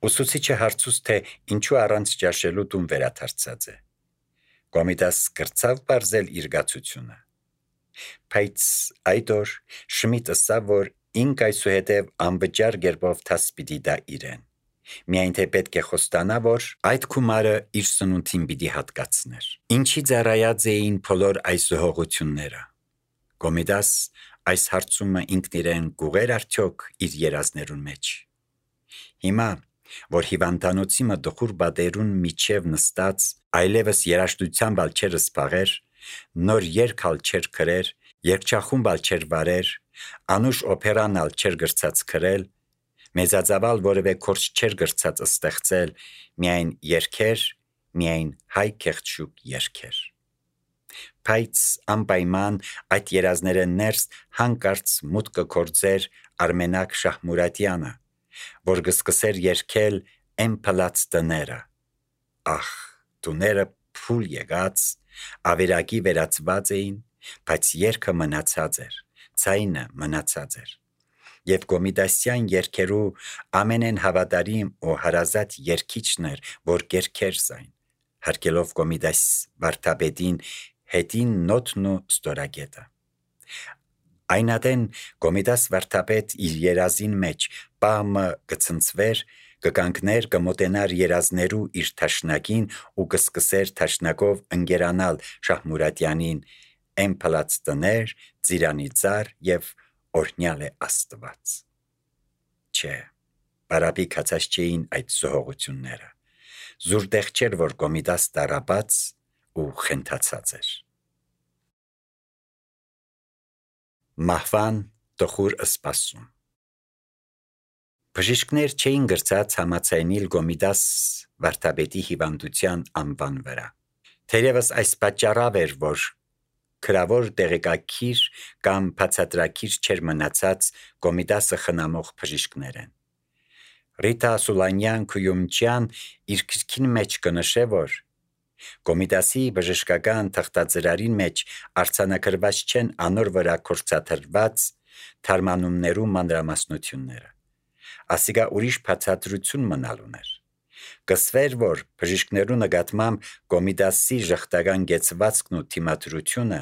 Ուսուցիչը հարցուց, թե ինչու առանց ճաշելու տուն վերադարձած է։ Կոմիդաս կրծավ բարձել իր գացությունը։ Բայց այդ օր Շմիդտը ասավ, որ ինք այսուհետև անվճար գերբով դաս պիտի դա իրեն։ Միայն թե պետք է խոստանա, որ այդ գումարը իր սնունդին պիտի հատկացներ։ Ինչի ծառայած էին բոլոր այս զոհողությունները։ Կոմիդաս այս հարցումը ինքն իրեն գուղեր արդյոք իր երազներուն մեջ։ Հիմա, որ հիվանդանոցի մտխուր բادرուն միջև նստած, այլևս երաշտությամբ ալ չեր սփաղեր, նոր երգալ չեր գրեր, երգչախումբ ալ չեր վարեր, անուշ օպերան ալ չեր գրծած գրել, մեծածավալ որևէ կորս չեր գրծած ստեղծել, միայն երգեր, միայն հայ կեղծուկ երգեր։ Բայց անպայման այդ երազները ներս հանկարծ մուտքը կորձեր Արմենակ Շահմուրատյանը, որ գսկսեր երգել «Էն փլած տները»։ Ահ, տուները փուլ եղած, ավերակի վերածված էին, բայց երգը մնացած էր, ձայնը մնացած էր։ Եվ Կոմիդասյան երգերու ամենեն հավատարիմ ու հարազատ երգիչն էր, որ երգեր զայն, հարկելով Կոմիդաս վարդապետին հետին նոթն ու ստորագետը։ Այնատեն Կոմիդաս վարդապետ իր երազին մեջ պահմը կցնցվեր, կկանգներ, կմոտենար երազներու իր թաշնակին ու կսկսեր թաշնակով ընկերանալ Շահմուրատյանին «Էն փլած տներ», «Ծիրանի ծառ» եւ «Օրհնյալ է Աստված»։ Չէ, բարապի կացած չէին այդ զոհողությունները։ Զուրտեղ չէր, որ Կոմիդաս տարապած ու խենթացած էր։ Մահվան տխուր սպասում։ Բժիշկներ չէին գրծած համաձայնիլ Կոմիդաս վարդապետի հիվանդության անվան վրա։ Թերևս այս պատճառով էր, որ քրավոր տեղեկակիր կամ բացատրակիր չէր մնացած Կոմիդասը խնամող բժիշկներեն։ Ռիտա Սուլանյան Քույումջյան իր գրքին մեջ կնշե, որ Կոմիդասի բժշկական թղթածրարին մեջ արձանագրված չեն անոր վրա կործաթրված թարմանումներու մանրամասնությունները։ Ասիկա ուրիշ բացատրություն մնալ ուներ։ Կսվեր, որ բժիշկներու նկատմամբ Կոմիդասի ժխտական գեցվածքն ու թիմադրությունը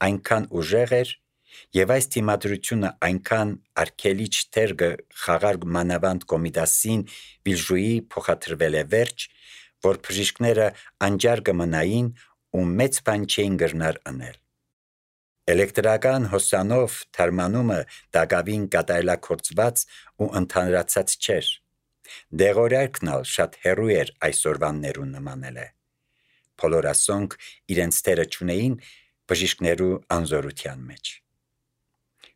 այնքան ուժեղ էր, եւ այս թիմադրությունը այնքան արգելիչ թեր խաղար մանավանդ Կոմիդասին վիլժուի փոխադրվել է վերջ, որ բժիշկները անջար կմնային ու մեծ բան չէին գրնար անել։ Էլեկտրական հոսանով թարմանումը դակավին կատարելագործված ու ընդհանրացած չէր։ Դեղորայքն ալ շատ հեռու էր այսօրվաններուն նմանել է։ Բոլորասոնք իրենց թերը չունեին բժիշկներու անզորության մեջ։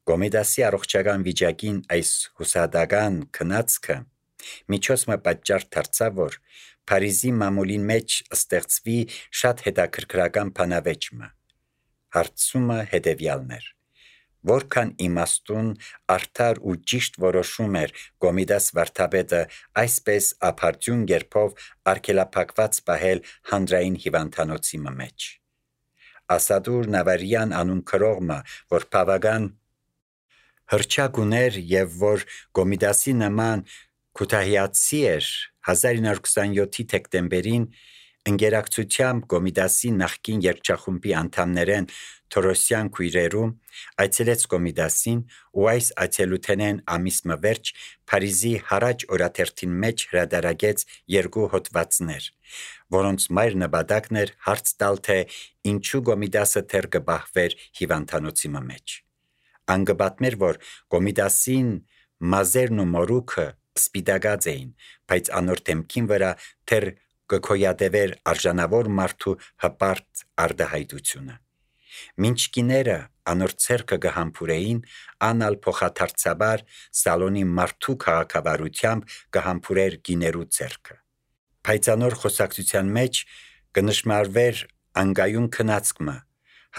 Կոմիդասի առողջական վիճակին այս հուսադական քնածքը միջոցը պատճառ դարձավ, որ Փարիզի մամուլին մեջ ստեղծվի շատ հետաքրքրական բանավեճը։ Հարցումը հետևյալն էր. որքան իմաստուն, արդար ու ճիշտ որոշում էր Կոմիդաս վարդապետը այսպես ափարդյուն գերբով արգելափակված պահել հանրային հիվանդանոցի մեջ։ Ասադուր Նավարյան անուն քրողը, որ բավական հրճակ ուներ եւ որ Կոմիդասի նման քութահիացի էր, 1927-ի դեկտեմբերին ընկերակցությամբ Կոմիդասի նախկին երգչախումբի անդամներեն Թորոսյան քույրերու այցելեց Կոմիդասին ու այս այցելութենեն ամիսը վերջ Փարիզի հարաճ օրաթերթին մեջ հրատարակեց 2 հոդվածներ, որոնց մայր նպատակն էր հարց տալ, թե ինչու Կոմիդասը թեր կբահվեր հիվանդանոցի մեջ։ Անգպատմեր, որ Կոմիդասին մազերն ու մորուքը սպիտակած էին, բայց անոր դեմքին վրա թեր կքոյատևեր արժանավոր մարդու հպարտ արդահայտությունը։ Մինչ կիները անոր ցերկը կհամբուրեին, անալ փոխադարձաբար սալոնի մարդու քաղաքավարությամբ կհամբուրեր կիներու ցերկը։ Բայց անոր խոսակցության մեջ կնշմարվեր անգայուն քնածքը,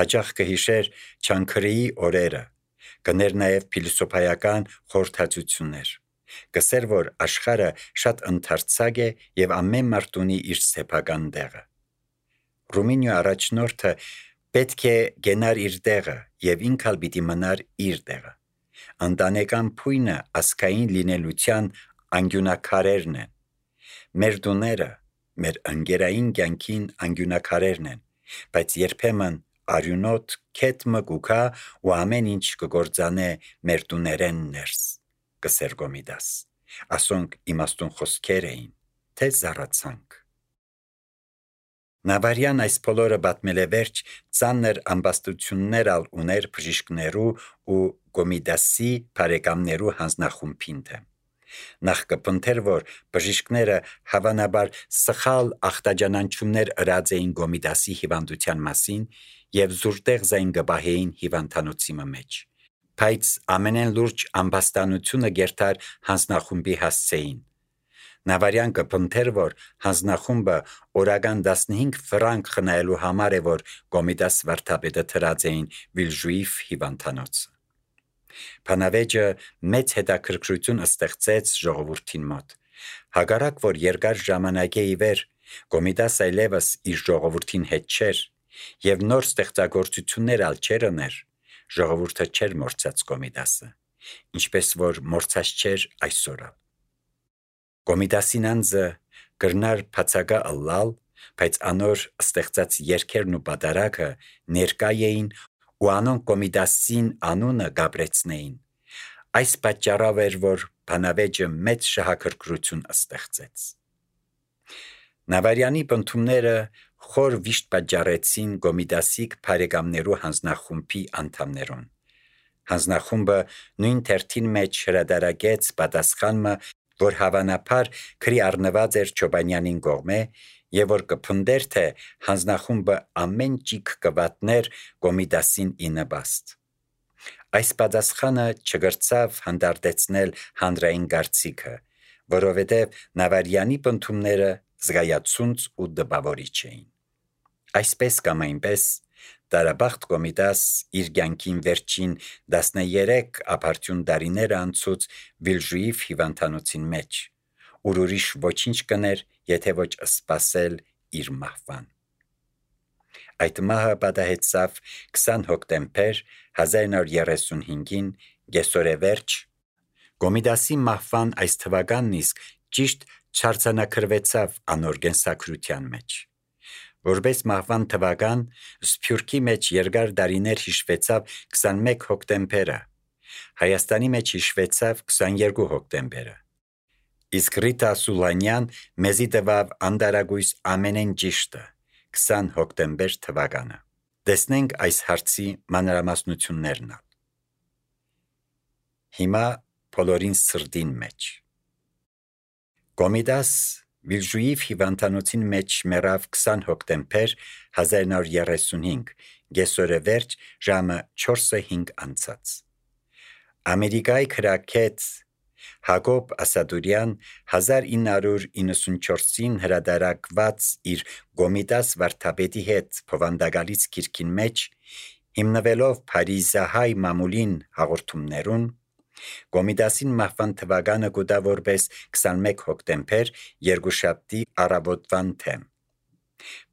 հաճախ կհիշեր Չանքրեի օրերը, կներ նաև փիլիսոփայական խորհրդածություններ։ Կսեր, որ աշխարհը շատ ընդարձակ է եւ ամեն մարդ ունի իր սեփական տեղը։ Ռումինիա առաջնորդը պետք է գենար իր տեղը եւ ինքալ պիտի մնար իր տեղը։ Ընտանեկան փույնը ասկային լինելության անկյունակարերն են։ Մեր տուները, մեր ընկերային կյանքին անկյունակարերն են, բայց երբեմն արյունոտ քեթ մգուկա ու ամեն ինչ կգործանե մեր տուներեն ներս, կսեր Գոմիդաս, ասոնք իմաստուն խոսքեր էին, թե զառացանք։ Նավարյան այս բոլորը պատմել է վերջ ծանր ամբաստություններ ալ ուներ բժիշկներու ու Գոմիդասի բարեկամներու հանձնախումբին դեմ։ Նախ կպնդեր, որ բժիշկները հավանաբար սխալ ախտաջանանչումներ ըրած էին Գոմիդասի հիվանդության մասին և զուրտեղ զայն գբահեին հիվանդանոցի մեջ, բայց ամենեն լուրջ ամբաստանությունը գերտար հանձնախումբի հասցեին։ Նավարյան կպնդեր, որ հանձնախումբը օրական 15 ֆրանկ խնայելու համար է, որ Գոմիդաս վարդապետը թրած էին Վիլժուիֆ հիվանդանոցը։ Փանավեճը մեծ հետաքրքրություն ստեղծեց ժողովրդին մոտ։ Հակառակ որ երկար ժամանակի ի վեր Գոմիդաս այլևս իր ժողովրդին հետ չէր և նոր ստեղծագործություններ ալ չէր ուներ, ժողովուրդը չէր մորցած Գոմիդասը, ինչպես որ մորցած չէր այսօր։ Գոմիդասին անձը կրնար բացակա ըլլալ, բայց անոր ստեղծած երգերն ու պատարագը ներկա էին ու անոնք Գոմիդասին անունը գաբրեցնեին։ Այս պատճառով էր, որ բանավեճը մեծ շահագրգռություն ստեղծեց։ Նավարյանի պնդումները խոր վիշտ պատճառեցին Գոմիդասի բարեկամներու հանձնախումբի անդամներուն։ Հանձնախումբը նույն թերթին մեջ հրադարագեց պատասխանը, որ հավանաբար քրի առնված էր Չոբանյանին կողմէ և որ կփնդեր, թե հանձնախումբը ամեն ճիգ կվատներ Գոմիդասին ի նպաստ։ Այս պատասխանը չգրցավ հանդարտեցնել հանրային կարծիքը, որովհետև Նավարյանի պնդումները զգայացունց ու դպավորիչ էին։ Այսպես կամ այնպես տարաբախտ Գոմիդաս իր կյանքին վերջին 13 ապարդյուն տարիները անցուց Վիլժուիֆ հիվանդանոցին մեջ, ուր ուրիշ ոչինչ կներ, եթե ոչ սպասել իր մահվան։ Այդ մահը պատահեցավ 20 հոկտեմբեր 1935-ին կեսօրեվերջ։ Գոմիդասի մահվան այս թվականն իսկ ճիշտ չարձանագրվեցավ անոր կենսագրության մեջ։ Որպես մահվան թվական, Սփյուռքի մեջ երկար տարիներ հիշվեցավ 21 հոկտեմբերը, Հայաստանի մեջ հիշվեցավ 22 հոկտեմբերը, իսկ Ռիտա Սուլանյան մեզի տվավ անտարագույս ամենեն ճիշտը 20 հոկտեմբեր թվականը։ Տեսնենք այս հարցի մանրամասնություններն։ Հիմա բոլորին սրտին մեջ։ Գոմիդաս Վիլժուիֆ հիվանդանոցին մեջ մեռավ 20 հոկտեմբեր 1935, կեսօրեվերջ ժամը 4:05 անցած։ Ամերիկայի քրակետ Հակոբ Ասադուրյան 1994-ին հրադարակված իր Գոմիդաս վարդապետի հետ փոխանդակալից գիրքին մեջ, հիմնվելով Փարիզահայ մամուլին հաղորդումներուն, Գոմիդասին մահվան թվականը կուտա որպես 21 հոկտեմբեր երկուշաբթի առավոտվան թեմ։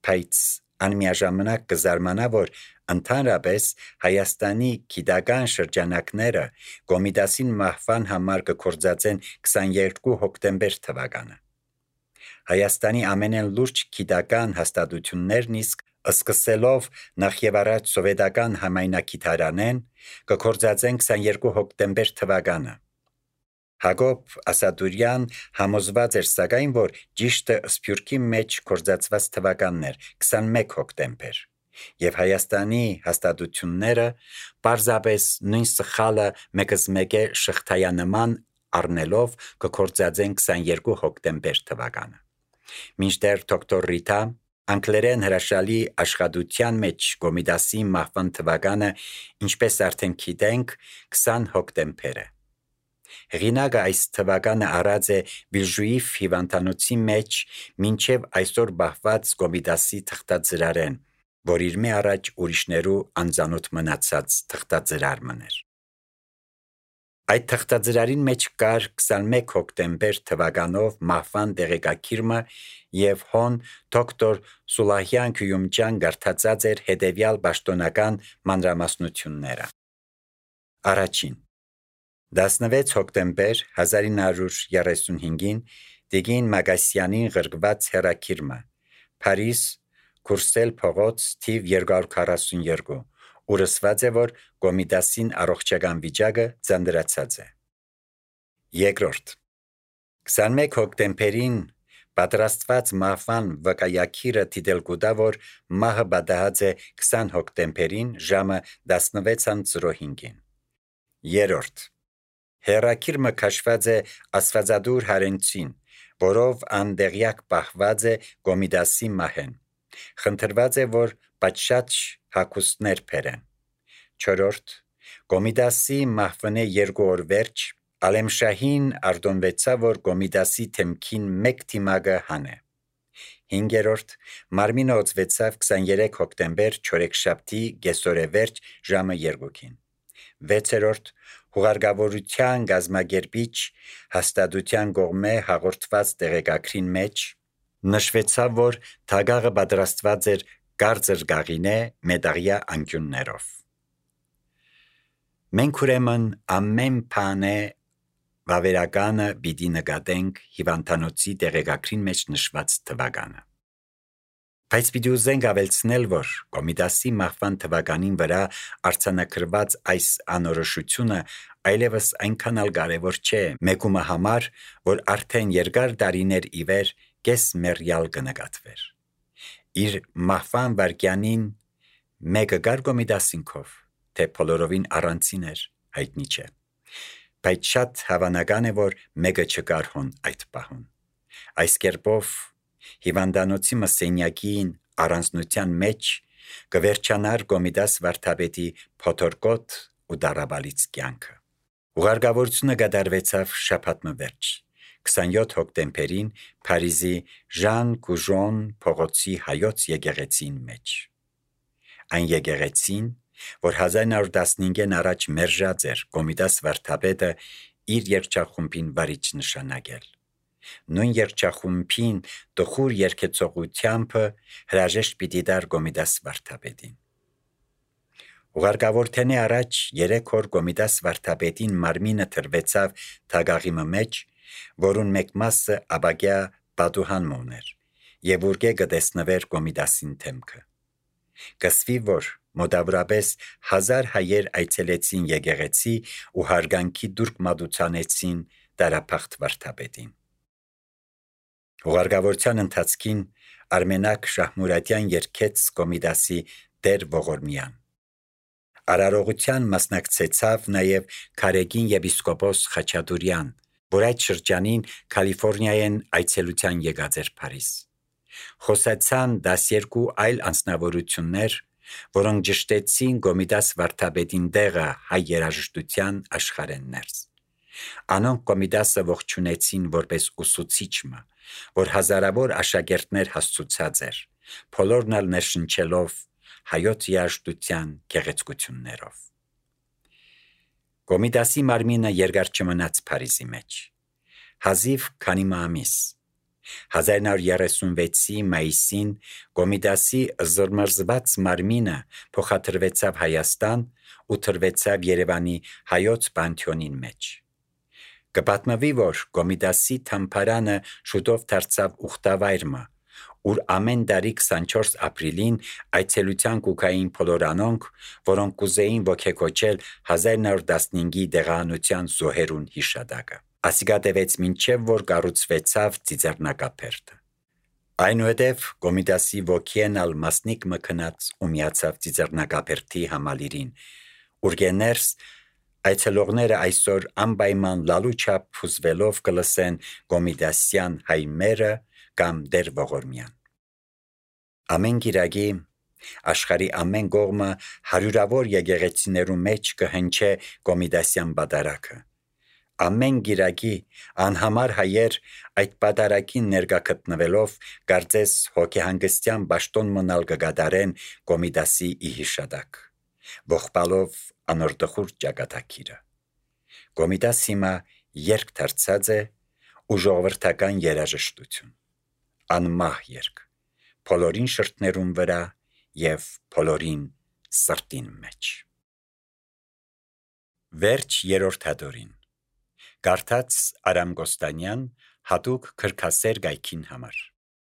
Բայց անմիաժամանակ կզարմանա, որ ընդհանրապես Հայաստանի գիտական շրջանակները Գոմիդասին մահվան համար կգործածեն 22 հոկտեմբեր թվականը։ Հայաստանի ամենեն լուրջ գիտական հաստատություններն իսկ սկսելով նախ եւ առաջ սովետական համայնագիտարանեն կգործածեն 22 հոկտեմբեր թվականը։ Հակոբ Ասադուրյան համոզված էր սակայն, որ ճիշտը Սփյուռքի մեջ գործածված թվականն էր 21 հոկտեմբեր, և Հայաստանի հաստատությունները պարզապես նույն սխալը մեկզմեկե շղթայանման առնելով կգործածեն 22 հոկտեմբեր թվականը։ Մինչդեռ դոկտոր Ռիտա անգլերեն հրաշալի աշխատության մեջ Գոմիդասի մահվան թվականը, ինչպես արդեն գիտենք, 20 հոկտեմբեր է։ Հեղինակը այս թվականը առած է Վիլժուիֆ հիվանդանոցի մեջ մինչև այսօր բահված Գոմիդասի թղթածրարեն, որ իր մե առաջ ուրիշներու անծանոթ մնացած թղթածրար մներ։ Այդ թղթածրարին մեջ կար 21 հոկտեմբեր թվականով մահվան տեղեկագիրը և հոն դոկտոր Սուլահյան Քյումջան գարթածած էր հետևյալ պաշտոնական մանրամասնությունները։ Առաջին. 16 հոկտեմբեր 1935-ին Տիգին Մագասյանին ղրկված հերակիրմը, Փարիզ, Քուրսել փողոց թիվ 242, ուր ասված է, որ Կոմիդասին առողջական վիճակը ձանձրացած է։ Երկրորդ 21 հոկտեմբերին պատրաստված մահվան վկայակիրը դիտել գուտա, որ մահը պատահած է 20 հոկտեմբերին ժամը 16:05-ին։ Երրորդ հերակիրմը քաշված է Աստվածադուր Հարենցին, որով անդեղյակ պահված է Կոմիդասի մահեն։ Խնդրված է, որ պատշաճ հագուստներ բերեն։ Չորրորդ Կոմիդասի մահվնե 2 օր վերջ Ալեմշահին արտոնվեցավ, որ Կոմիդասի թեմքին մեկ թիմակը հանե։ Հինգերորդ մարմինը օծվեցավ 23 հոկտեմբեր չորեքշաբթի կեսօրե վերջ ժամը 2-ին։ Վեցերորդ հուղարկավորության գազմագերբիչ հաստատության կողմէ հաղորդված տեղեկագրին մեջ նշվեցավ, որ թագաղը պատրաստված էր կարծր գաղինե մետաղյա անկյուններով։ Մենք ուրեմն ամեն բանը վավերականը պիտի նկատենք հիվանդանոցի տեղեկագրին մեջ նշված թվականը։ Բայց պիտի ուզենք ավելցնել, որ Կոմիդասի մահվան թվականին վրա արձանագրված այս անորոշությունը այլևս այնքան էլ կարևոր չէ մեկումը համար, որ արդեն երկար տարիներ ի վեր կես մեռյալ կնկատվեր։ Իր մահվան վայրկյանին մեկը գար Կոմիդասինքով, թե բոլորովին առանցին էր, հայտնի չէ։ Բայց շատ հավանական է, որ մեկը չկար հոն այդ պահուն։ Այս կերպով հիվանդանոցի մսենյակին առանձնության մեջ կվերջանար Կոմիդաս վարդապետի փոթորկոտ ու դարաբալից կյանքը։ Ուղարկավորությունը կատարվեցավ շաբաթ վերջ 27 հոկտեմբերին Փարիզի Ժան Կուժոն փողոցի հայոց եկեղեցին մեջ։ Այն եկեղեցին, որ 1915-ին առաջ մերժած էր Կոմիդաս վարդապետը իր երգչախումբին վարիչ նշանակել։ Նույն երգչախումբին տխուր երգեցողությամբ հրաժեշտ պիտի տար Կոմիդաս վարդապետին։ Ուղարկավորթենի առաջ 3 օր Կոմիդաս վարդապետին մարմինը թրվեցավ թագաղի մեջ, որուն մեկ մասը ապագյա պատուհան ուներ, եւ ուրկե կտեսնվեր Կոմիդասին թեմքը։ Կսվի, որ մոտավորապես 1000 հայեր այցելեցին եկեղեցի ու հարգանքի դուրք մատուցանեցին դարափախտ վարդապետին։ Ուղարկավորության ընթացքին Արմենակ Շահմուրատյան երգեց Կոմիդասի Տեր Ողորմյան։ Արարողության մասնակցեցավ նաև Քարեգին եպիսկոպոս Խաչատուրյան, որ այդ շրջանին Կալիֆոռնիայեն այցելության եկած էր Փարիզ։ Խոսացան 12 այլ անձնավորություններ, որոնք ճշտեցին Կոմիդաս վարդապետին տեղը հայ երաժշտության աշխարհեն ներս։ Անոնք Կոմիդասը ողջունեցին որպես ուսուցիչը, որ հազարավոր աշակերտներ հասցուցած էր, բոլորն էլ ներշնչելով հայոց երաժշտության գեղեցկություններով։ Կոմիդասի մարմինը երկար չմնաց Փարիզի մեջ։ Հազիվ քանի ամիս 1936-ի մայիսին Կոմիդասի զրմրզված մարմինը փոխադրվեցավ Հայաստան ու թրվեցավ Երևանի հայոց պանթեոնին մեջ։ Կպատմվի, որ Կոմիդասի թամփարանը շուտով դարձավ ուխտավայրը, ուր ամեն տարի 24 ապրիլին այցելության կուքային բոլոր անոնք, որոնք կուզեին ոգեկոչել 1915-ի դեղահանության զոհերուն հիշատակը։ Ասիկա տևեց մինչև որ կառուցվեցավ ծիծեռնակապերտը։ Այնուհետև Կոմիդասի ոգին ալ մասնիկ մկնած ու միացավ ծիծեռնակապերտի համալիրին, ուր գեներս այցելողները այսօր անպայման լալու չափ փուզվելով կլսեն Կոմիդասյան հայմերը կամ Տեր Ողորմյան։ Ամեն գիրագի աշխարհի ամեն կողմը հարյուրավոր եկեղեցիներու մեջ կհնչե Կոմիդասյան պատարակը։ Ամեն գիրագի անհամար հայեր այդ պատարակին ներկա գտնվելով կարծես հոգեհանգստյան պաշտոն մնալ կգադարեն Կոմիդասի իհիշատակ, ողբալով անորդխուր ճակատագիրը։ Կոմիդաս հիմա երգ դարձած է ու ժողովրդական երաժշտություն, անմահ երգ, բոլորին շրթներուն վրա եւ բոլորին սրտին մեջ։ Վերջ երրորդ հատորին Կարդաց Արամ Կոստանյան հատուկ քրքասեր գայքին համար։